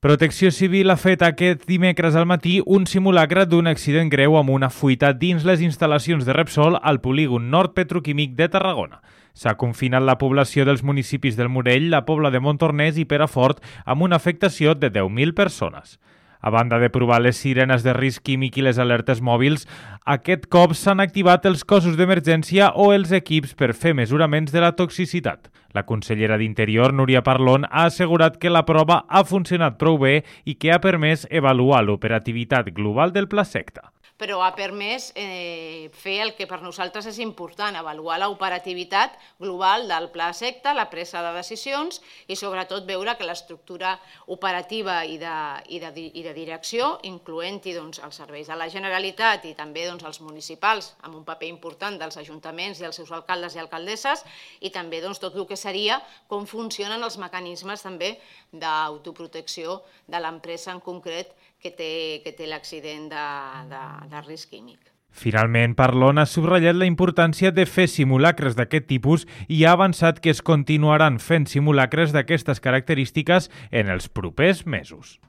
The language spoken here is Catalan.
Protecció Civil ha fet aquest dimecres al matí un simulacre d'un accident greu amb una fuita dins les instal·lacions de Repsol al polígon nord petroquímic de Tarragona. S'ha confinat la població dels municipis del Morell, la Pobla de Montornès i Perafort amb una afectació de 10.000 persones. A banda de provar les sirenes de risc químic i les alertes mòbils, aquest cop s'han activat els cossos d'emergència o els equips per fer mesuraments de la toxicitat. La consellera d'Interior, Núria Parlon, ha assegurat que la prova ha funcionat prou bé i que ha permès avaluar l'operativitat global del Pla Secta. Però ha permès fer el que per nosaltres és important, avaluar l'operativitat global del Pla Secta, la presa de decisions i sobretot veure que l'estructura operativa i de direcció, incloent-hi els serveis de la Generalitat i també els municipals, amb un paper important dels ajuntaments i els seus alcaldes i alcaldesses, i també tot el que seria com funcionen els mecanismes també d'autoprotecció de l'empresa en concret que té l'accident de risc químic. Finalment, Parlon ha subratllat la importància de fer simulacres d'aquest tipus i ha avançat que es continuaran fent simulacres d'aquestes característiques en els propers mesos.